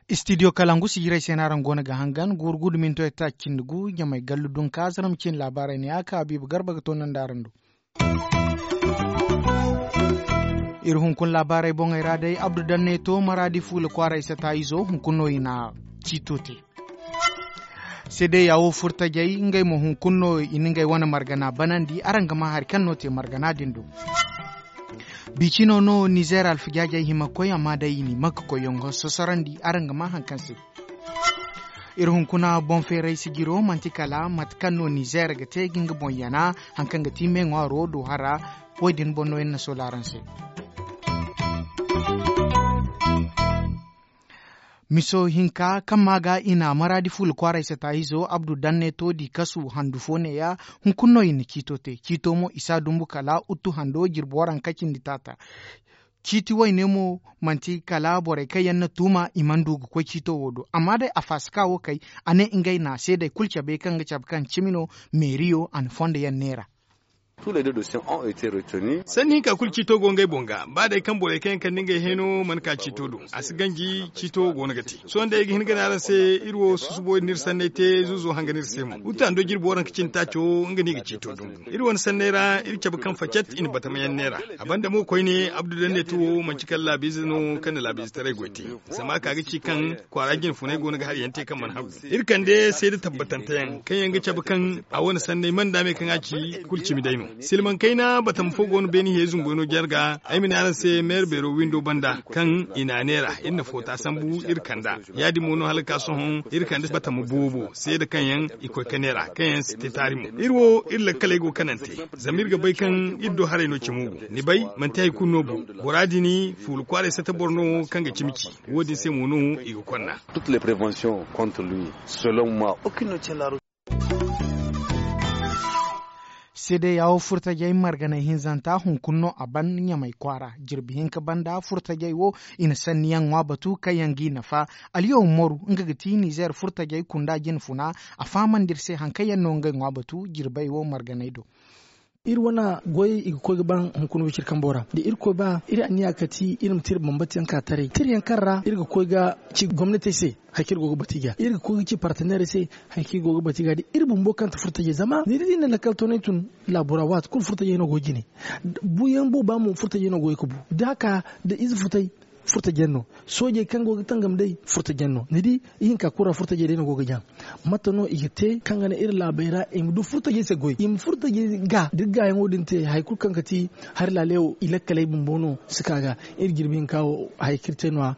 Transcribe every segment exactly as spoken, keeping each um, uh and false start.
Istidiyo kalangu sijirey se no araŋ go no ga hangan guuru gudu minto etac cindi gu ɲamay gallu dunka zarma ciine laabaarey ne a ka habiiba garba ga toonandi araŋ do. Iri hunkuna laabaarey boŋey ra day abdu danne to maraadi fuula kwaaray sata izo hunkuna no i na ciito te. Seedeya wo furtajey ngey mo hunkuna no i na ngey wane margana banandi araŋ ga maa hari kaŋ no te margana din do. Biicino no nizeer alfajaajey hima ga koy amma day i n'i makka koyyaŋo sosorondi araŋ ga maa hari kaŋ se. Iri hunkuna boŋ feeray sijiro manti kala mate kaŋ no nizeer ga te ga nga boŋ yana hari kaŋ ga ti me ŋwaaro do hara. Wo- din boŋ no iri na soola araŋ se. Miso hinka kaŋ maa ga i na maraadi fuula kwaaray sata izo abdu danne to di kasu handu fo neeya. Hunkuna no i na ciito te ciito mo i si a dumbu kala uttu hando jirbi waranka cindi taata. Ciiti wayne mo manti kala borey kaŋ yaŋ na tuuma i mana du ga koy ciito wo do amma day a faasaka wo kay. A ne ngey na seedey kulu cabe kaŋ ga cabe kaŋ cimi no meeriyo a na fondo yaŋ neera. Sanni hinka kulu ciito go ngey boŋ ga ba day kaŋ borey kaŋ yaŋ kande ngey hẽeno mana ka ciito do. A si ganji ciito go no ga te sohõ day ay ga hin ga ne araŋ se iri wo susubo iri n'iri sanney te zuuzo hanga no iri se mo uttando jirbi waranka cindi taaco nga no i ga ciito dumbu. Iri wane sanney ra iri cabe kaŋ facet i na batamayaŋ neera. A banda mo koyne abdu danne to wo manci kala laabiize no kaŋ na laabiizetaray goy te. Zama a ka ga ci kaŋ kwaara jine funay go no ga hari yaŋ te kaŋ mana hagu. Iri kande seeda tabbatante yaŋ kaŋ yaŋ ga cabe kaŋ a wane sanney mana daame kaŋ a ci kulu cimi day no. Silmaŋ kayna batama fo go no beeni hiyey zumboy no jarga ay ma ne araŋ se meera beero windo banda kaŋ i na a neera iri na foota sambu iri kanda. Ya- din mo no hala ga ka sohõ iri kande batama boobo seeda kaŋ yaŋ i koy ga neera kaŋ yaŋ si te taari mo. Iri wo iri lakkaley go kanante. Zama iri ga bay kaŋ iri do haray no cimo go ni bay manti hari kulu no bu. Bora din fuula kwaaray sata boro no kaŋ ga cimi ci. Wo- din se mo no i ga konna. Seedeya wo furtajey marganay hinzanta hunkuna no a ban ɲamay kwaara. Jirbi hinka banda furtajey wo i na sanniyaŋ ŋwa batu kaŋ yaŋ g'i nafa. Alyaw moru nga ga ti nizeer furtajey kunda jine funa. A fahamandi iri se hari kaŋ yaŋ no ngey ŋwa batu jirbey wo marganay do. Iri wane goyey i ga koy ga ban hunkuna wiciri kambo ra da irkoy ba iri anniya ga ti iri ma te iri bambata yaŋ ka taray tira yaŋ kaŋ ra iri ga koy ga ci gomnatey se. Hari kaŋ iri go ga batu i ga iri ga koy ga ci parteneerey se. Hari kaŋ iri go ga batu i ga da iri bumbo kaŋ ti furtajey zama ni di da i na lakkal toonay tun laabo ra waati kulu furtajey no go ga jine. Buuyaŋ booba mo furtajey no go ga bu da a ka da ize futay. Furtajaŋ no soojey kaŋ go ga tangam day furtajaŋ no ni di. Ihinka kulu ra furtajey day no go ga jaŋ. Mate no i ga te kaŋ ga naŋ iri laabey ra i ma du furtajey se goy i ma furtajey ga da iri gaayaŋo din te hari kulu kaŋ ga ti hari laalewo i lakkaley bumbo no si ka ga. Iri jirbi hinka wo haya kaŋ iri te no- ya.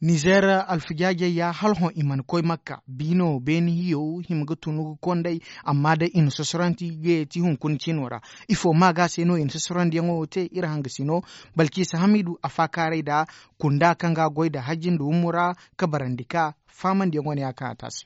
Nizeer alfijaajey ya hala hõ i mana koy makka. Biino beene hiyo hima ga tunu ga konday. Amma day i na sosoranti ga yeeti hunkuna ciino ra. Ifo maaga se no i na sosorandiyaŋo wo te iri hangasino. Balciisa hamiidu a faakaaray nd'a kunda kaŋ ga a goy nda hajji nda wumura. Kabarandi ka faamandiyaŋo ne a kaŋ a te a se.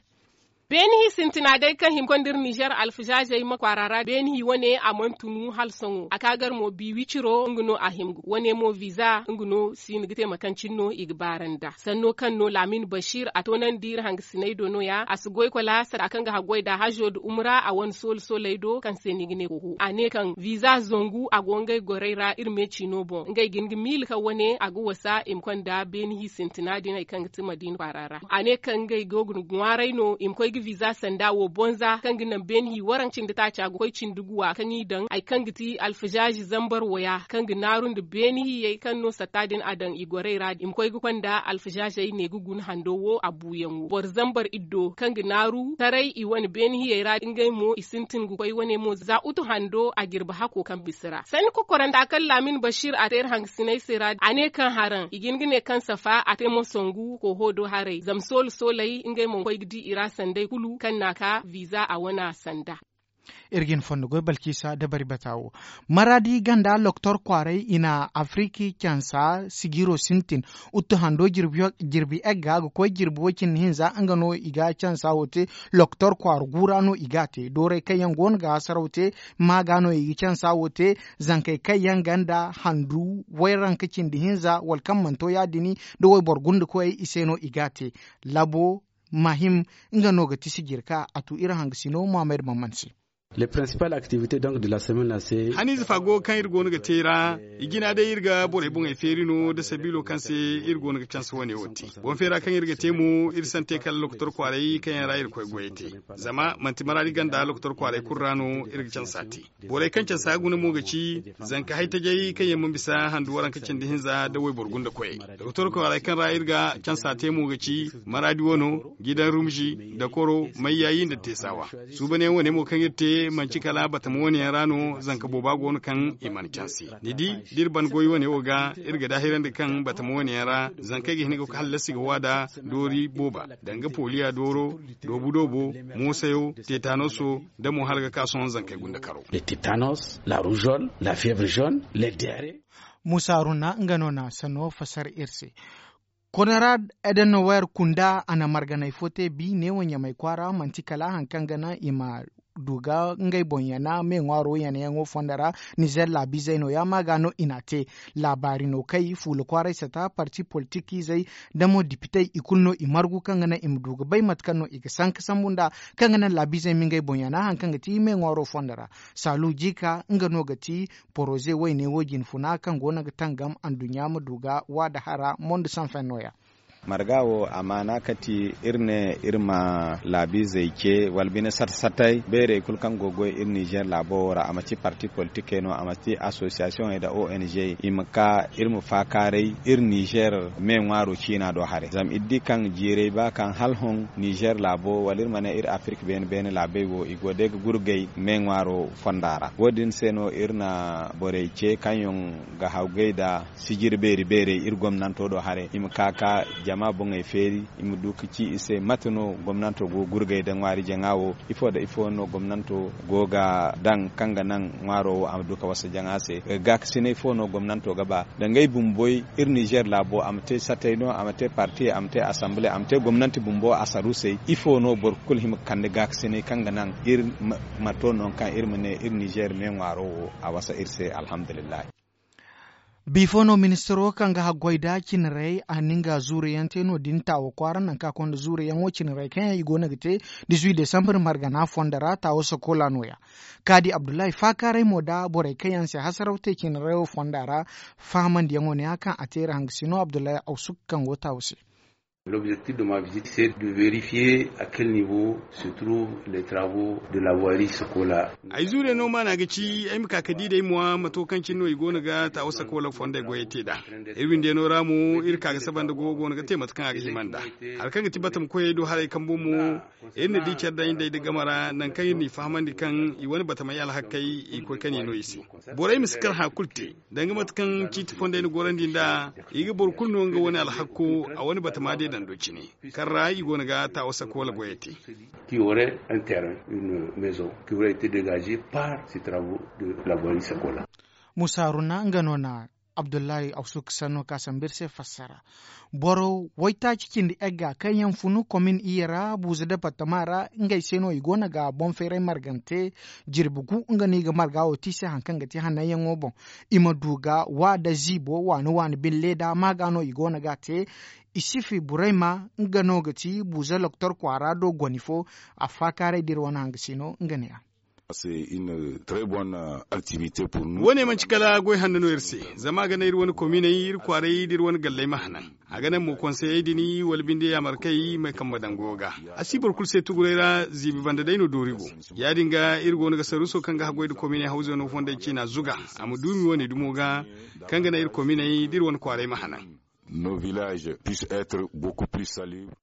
Beene hi sintina day kaŋ hima konda iri nizeer alfizaazey ma kwaara ra beene hi wane a mana tunu hala sohõ a ka gar mo bi wiciro nga no a hima ga wane mo viza nga no si hin ga te mate kaŋ cine no i ga baara nd'a sanno kaŋ no laamin basiir a toonandi iri hangasiney do no- ya a si goy kola sara kaŋ ga haggoy nd'a hazo nda umra a wane soolo sooley do kaŋ se no i ga ne koho a ne kaŋ viza zangu a go ngey gorey ra iri me ciino boŋ ngey ga hin ga miila kaŋ wane a ga wasa i ma konda beene hi sintina din hari kaŋ ga ti madiina kwaara ra. A ne kaŋ ngey go ga ŋwaaray no i ma koy ga viza sanda wo bonza kaŋ ga naŋ beene hi waranka cindi taaca ga koy cindi guwa kaŋ i daŋ hari kaŋ ga ti alfazaazi zambar waya kaŋ ga naaru nda beene hiyey kaŋ no satta din a daŋ i gorey ra i ma koy ga konda alfazaazey ne ga guna hando wo a buuyaŋo boro zambar iddo kaŋ ga naaru taray i wane beene hiyey ra ngey mo i sintin ga koy wane mo za utu hando a jirbi hako kaŋ bisa ra sanni kokoranda kaŋ laamin basiir a te iri hangasiney se ra a ne kaŋ haraŋ i ga hin ga ne kaŋ safa a te mo sangu koho do haray zama soolo sooley ngey mo koy ga di i ra sanday kulu kaŋ n'a ka viza a wana sanda. Iri ga hin fondo goy balciisa dabari bata wo. Maraadi ganda loktor kwaaray i na afiriki cansa sijiro sintin. Uttu hando jirbi egga ga koy jirbi woy cindi hinza nga no i ga cansa wo te. Loktor kwaara guura no i ga a te dooray kaŋ yaŋ go no ga hasaraw te. Maaga no i ga cansa wo te. Zankey kaŋ yaŋ ganda handu wayranka cindi hinza wala kaŋ mana to ya- din da wayboro gunda koyey i se no i ga a te. Labo mahim, nga no ga ti sijir ka a tu iri hangasino muhammad maman se. Haniize fa go kaŋ iri go no ga te ra. I jina day iri ga borey boŋey feeri no nda sabiilo kaŋ se iri go no ga canse wane wo te. Boŋ feera kaŋ iri ga te mo iri sante kala lokotor kwaaray kaŋ yaŋ ra iri koy goyey te. Zama manti maraadi ganda lokotor kwaaray kulu ra no iri ga cansa te. Borey kaŋ cansa guna mo ga ci zanka haytajay kaŋ yaŋ ma bisa handu waranka cindi hinza nda wayboro gunda koyey. Lokotor kwaaray kaŋ ra iri ga cansa te mo ga ci maraadi wano, gidan rumzi, dakoro, mayyayi nda teesawa. Suubanyaŋ wane mo kaŋ iri te manci kala batama wane yaŋ ra no. Zanka booba go no kaŋ i mana canse. Ni di, da iri ban goy wane wo ga iri ga daahirandi kaŋ batama wane yaŋ ra zankey ga hin ga hallasi ga waada doori booba, danga poliya dooro, doobu doobo, moosayo, tetanoso, nda mo hala ga ka sohõ zankey gunda karo. Musa haruna nga no na sanno fasar iri se. Konorad edenower kunda a na marganay fo te bi neewo ɲamay kwaara manti kala hari kaŋ ga naŋ i ma du ga ngey boŋ yana me ŋwaaro yanayaŋo fondo ra. Nizer laabiizey no- ya ma ga no i n'a te. Laabaari no kay fuula kwaaray sata parti politik izey nda mo dipitey i kulu no i margu kaŋ ga naŋ i ma du ga bay mate kaŋ no i ga sanka sambu nd'a, kaŋ ga naŋ laabiizey ma ngey boŋ yana hari kaŋ ga ti me ŋwaaro fondo ra. Saalu jiika nga no ga ti poroze wayne wo jine funa kaŋ go no ga tangam anduɲɲa ma du ga waada hara mondo sanfeŋ no- ya. Marga wo amaana kati iri ne iri ma laabiizey ce wala bine sata satay beerey kulu kaŋ go ga goy iri nizer laabo wo ra a ma ci parti politikey no a ma ci asosiyasiyoŋey nda o n g i ma ka iri ma faakaaray iri nizer me ŋwaaro ciina do haray zama iri di kaŋ jiirey ba kaŋ hala hõ nizer laabo wala iri ma ne iri afirik beene beene laabey wo i go day ga gurgay me ŋwaaro fonda ra wo- din se no iri na borey ce kaŋ yaŋ ga hawgay nda sijiri beeri beerey iri gomnanto do haray i ma ka ka jama boŋey feeri i ma du ga ci i se mate no gomnanto go ga gurgay nda ŋwaari jaŋa wo ifo nda ifo no gomnanto go ga daŋ kaŋ ga naŋ ŋwaaro wo a ma du ga wasa jaŋa se? Gaakasinay fo no gomnanto ga ba nda ngey bumboy iri nizer laabo a ma te satay no a ma te parti a ma te asamble a ma te gomnanti bumbo asaruusey ifo no boro kulu hima ga kande gaakasinay kaŋ ga naŋ iri ma to nangu kaŋ iri ma ne iri nizer me ŋwaaro wo a wasa iri se alhamdulillahi. Bifo no ministiro kaŋ ga haggoy nda cinarey a na nga zuuruyaŋ te no- din taawo kwaara nangu kaŋ a konda zuuruyaŋo cinarey kaŋ yaŋ i go no ga te dizuwi desambar margana fondo ra taawo sakola no- ya. Kaadi abdullahi faakaaray mo nda borey kaŋ yaŋ se hasaraw te cinarey wo fonda ra. Fahamandiyaŋo ne- ya kaŋ a te iri hangasino abdullahi awsuk kaŋ go taawo se. Lobzektif de ma vizit se de verifiye a kel nivo se trouve le travo de la voiri sakola. Ay zuure no maana ga ci ay ma ka ga di day mo mato kaŋ cine no i go no ga taawo sakola fondey goyey te nd'a. Iri windiyano ra mo iri ka ga saba nda gogo go no ga te mate kaŋ a ga hima nd'a. Hari kaŋ ga ti batam koyey do haray kambo mo iri na di care daŋ i day nda game ra nangu kaŋ iri n'i fahamandi kaŋ i wane batamey alhakey i koy ka ne no i se. Borey ma si kar hã kulu te danga mate kaŋ ciiti fondey na gorandi nd'a. I ga boro kulu no nga wane alhakko a wane batama deedando cine kaŋ ra i go no ga taawo sakola goyey te. Qui aurait un terrain une maison qui aurait été dégagée par ces travaux de la voirie sakola. Musa haruna nga no na abdullahi awsuk sanno ka sambu iri se fassara. Boro waytaaci cindi egga kaŋ yaŋ funu komin iyye ra buuza departama ra ngey se no i go no ga boŋ feeray margante. Jirbi gu nga no i ga marga wo te i se hari kaŋ ga ti hananyaŋo boŋ i ma du ga wa nda ziibo waani waani bine leeda ma ga no i go no ga a te. Isifi burayma nga no ga ti buuza loktor kwaara do goni fo. Affaakaaray da iri wane hangasino nga ne a. Wo- ne manti kala goy hanno no iri se. Zama a ga naŋ iri wane kominey iri kwaaray da iri wane galley ma hanan. A ga naŋ mo konseyey din wala binde yaamarkey may kaŋ ma daŋ goyo ga. A si boro kulu se tuguray ra ziibi banda day no doori go. Ya- din ga iri go no ga saruuso kaŋ ga haggoy nda kominey hawzano fondey ciina zuga a ma duumi wane dumo ga kaŋ ga naŋ iri kominey da iri wane kwaaray ma hanan. Nos villages puissent être beaucoup plus salubre.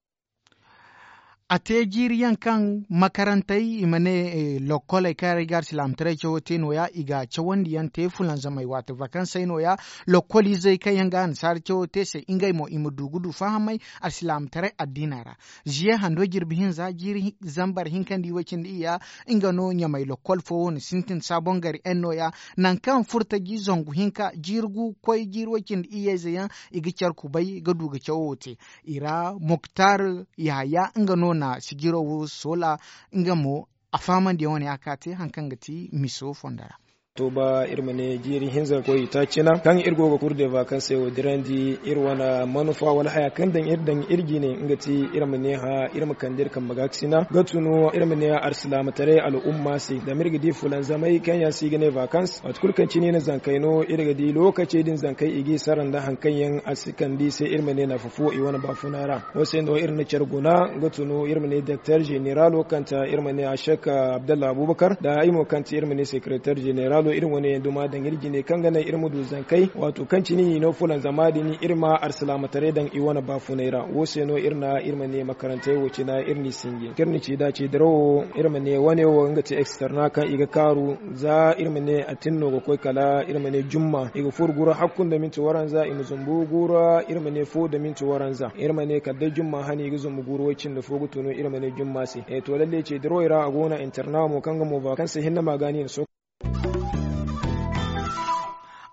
A te jiiri yaŋ kaŋ makarantey i ma ne lokkoley kaŋ yaŋ ra i ga alsilaamataray cawo te no- ya i ga cawandi yaŋ te fulanzamey waati vakansey no- ya. Lokkol izey kaŋ yaŋ ga annasaara cawo te se ngey mo i ma du ga du fahamey alsilaamataray addiina ra. Ziye hando jirbi hinza jiiri zambar hinka nda i way cindi iyya nga no ɲamay lokkol fo wo na sintin saabongari yaŋ no- ya. Nangu kaŋ furtaji zangu hinka jiiri gu koy jiiri way cindi iyyayze yaŋ i ga care kubay ga du ga cawo wo te. I ra muktar yahaya nga no na sijiro wo soola. Nga mo a fahamandiyaŋ wane a ka te hari kaŋ ga ti miso fondo ra. Tooba iri ma ne jiiri hinza ga koy itaaci na kaŋ iri go ga kuru de vakanse wo dirandi iri wane manufa wala haya kaŋ daŋ iri daŋ iri jine nga ti iri ma ne hã iri ma kande iri kambe ga ga sina ga tunu iri ma ne arsilaamataray al'umma se zama iri ga di fulanzamay kaŋ yaŋ se i ga ne vakans waati kulu kaŋ cine i na zankey no iri ga di lookacey din zankey i g'i sara nda hari kaŋ yaŋ a si kande i se iri ma ne nafa fo i wane baafuna ra. Wo se no iri na care guna ga tunu iri ma ne doktor zeneralo kaŋ ta iri ma ne a shek abdallah abubakar nda i mo kaŋ ti iri ma ne sekeretar zeneralo iri wane yaŋ duma daŋ iri jine kaŋ ga naŋ iri ma du zankey waato kaŋ cine i no fulanzama din iri ma arsilaamataray daŋ i wane baafunay ra wo se no iri na iri ma ne makarantey wo cina iri n'i sinji kaŋ iri na ci da ci dirawo iri ma ne wane wo nga ti eksterna kaŋ i ga kaaru za iri ma ne atin no ga koy kala iri ma ne jumma i ga furo gura hakku nda minti waranza i ma zumbu gura iri ma ne fo nda minti waranza iri ma ne kala day jumma hane i ga zumbu gura way cindi fo ga tunu iri ma ne jumma se. To lalle ci dirawo ra a go no interna mo kaŋ ga mo ba kaŋ se hinne ma gaani i na so.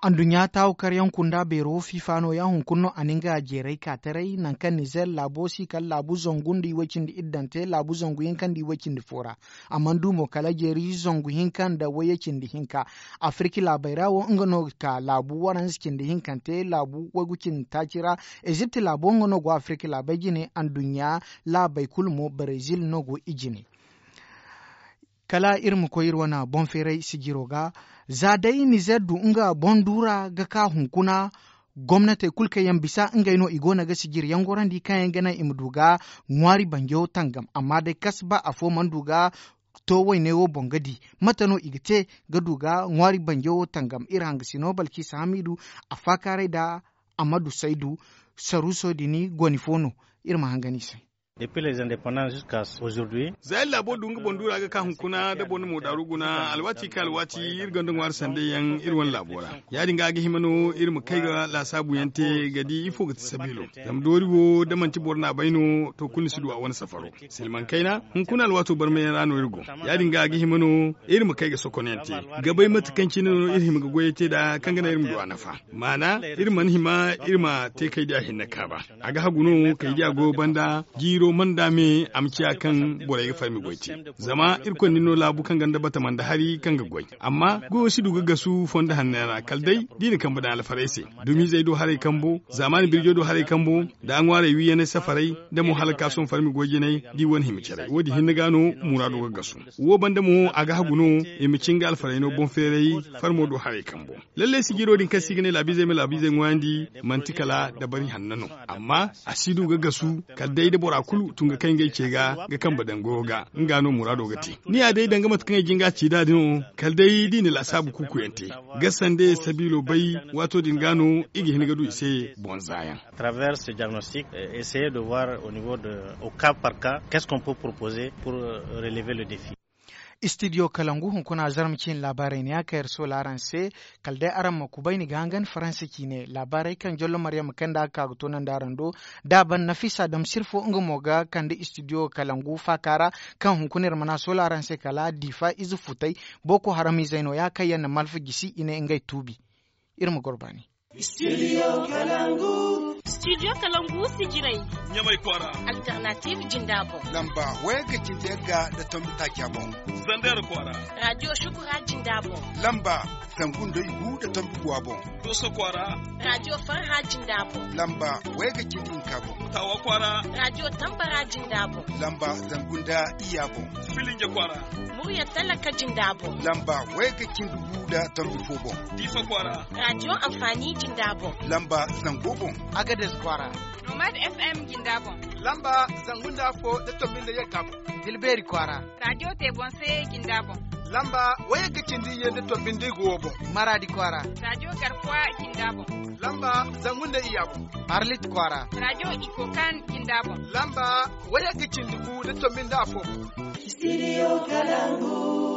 Anduɲɲa taawu karyaŋ kunda beero fiifa no ya hunkuna no a na nga jeeray ka taray nangu kaŋ nizer laabo si kala laabu zangu nda iway cindi iddante laabu zangu hinka nda iway cindi fo ra. A mana du mo kala jeeri zangu hinka nda wayye cindi hinka. Afirki laabey ra wo nga no ga ka laabu waranza cindi hinkante laabu waygu cindi taaci ra. Ezipt laabo nga no go afirki laabey jine anduɲɲa laabey kulu mo barezil no go i jine. Kala iri ma koy iri wane boŋ feeray sijiro ga za day nizer du nga boŋ duura ga ka hunkuna. Gomnatey kulu kaŋ yaŋ bisa ngey no i go no ga sijiri yaŋ gorandi kaŋ yaŋ ga naŋ i ma du ga ŋwaari banjo tangam amma day kasba afo mana du ga to wayne wo boŋ ga di mate no i ga te ga du ga ŋwaari banjo wo tangam iri hangasino balkisa hamidu a faakaaray nda amadu saydu saruuso din goni fo no. Iri ma hangan i se. Depuis les indépendants jusqu'à aujourd'hui. Za iri laabo du nga boŋ duura ga ka hunkuna da boro na mo daaru guna alwaati ka alwaati iri gonda ŋwaari sandey yaŋ iri wane laabo ra. Ya- din ga a ga hima no iri ma kay ga laasaabu yaŋ te ga di ifo ga ti sabiilo. Zama doori wo da manti boro n'a bay no to kulu ni si du a wane safaro. Silmaŋ kayna hunkuna alwaato barmay yaŋ ra no iri go. Ya- din ga a ga hima no iri ma kay ga sokonyaŋ te ga bay mate kaŋ cine no iri hima ga goyey te nd'a kaŋ ga naŋ iri ma du a nafa. Maana iri mana hima iri ma te kay diya hinne kaaba. A ga hagu no kay diya goyo banda jiiro mana da me a ma ciya kaŋ borey ga farmi goy te. Zama irkoy na ni no laabu kaŋ gonda batama nda hari kaŋ ga goy. Amma goyo si du ga gasu fondo hanney ra kala day da i na kambe daŋ alfarey se. Dumizey do haray kambo zaamaani birjo do haray kambo nda ŋwaarey wiiyaney safarey nda mo hala ka sohõ farmi goy jinay da i wane hima caray wo- din hinne ga no muraado ga gasu. Wo banda mo a ga hagu no i ma cin ga alfarey no boŋ feeray farmo do haray kambo. Lallay sijiro din kaŋ se i ga ne laabiizey ma laabiizey ŋwaayandi manti kala dabari hanno no. Amma a si du ga gasu kala day da bora kulu tun ga kay ngey ce ga ga kambe daŋ goyo ga nga no muraado ga te. Ni ya day danga mate kaŋ ay jin ga ci nd'a din no kala day da i na laasaabu kuukuyaŋ te ga sanda ye sabiilo bay. Waato din ga no i ga hin ga du i se boŋ zaayaŋ. Traverse diagnostic essayer de voir au niveau de au cas par cas qu'est ce qu'on peut proposer pour relever le défi. Istidiyo kalangu hunkuna zarma ciine laabaarey ne a kaŋ iri soola araŋ se. Kala day araŋ ma kubay ni ga hangan faransa ciine laabaarey kaŋ jollo maryam kaŋ nda a ga ka ga toonandi araŋ do. Da a ban nafisa dam sirfo nga mo ga kande istidiyo kalangu faaka ra kaŋ hunkuna iri mana soola araŋ se kala diifa ize futay. Boko haram izey no- ya kaŋ yaŋ na malfa gisi i ne ngey tuubi. Iri ma goro baani. Studio kalangu. Studio kalangu sijirey. Ɲamay kwaara. Alternative jinda boŋ. Lamba wayga cindi yagga nda tombi taaca boŋ. Zander kwaara. Radio shukura jinda boŋ. Lamba zangu nda igu nda tombi guwa boŋ. Doso kwaara. Radio farha jinda boŋ. Lamba wayga cindi hinka boŋ. Tawa kwaara. Radio tambara jinda boŋ. Lamba zangu nda iyya boŋ. Filinge kwaara. Murya talaka jinda boŋ. Lamba wayga cindi gu nda tombi fo boŋ. Diifa kwaara. Radio amfani jinda boŋ. Lamba zango boŋ. Agades kwaara. Nomad FM jinda boŋ. Lamba zangu nda afo nda tombi nda yagga boŋ. Dilbeeri kwaara. Radio te boŋ se jinda boŋ. Lamba wayga cindi iyye nda tombi nda igu wo boŋ. Maraadi kwaara. Radio garkuwa jinda boŋ. Lamba zangu nda iyya boŋ. Arlit kwaara. Radio ikokan jinda boŋ. Lamba wayga cindi gu nda tombi nda afo boŋ. Studio kalangu.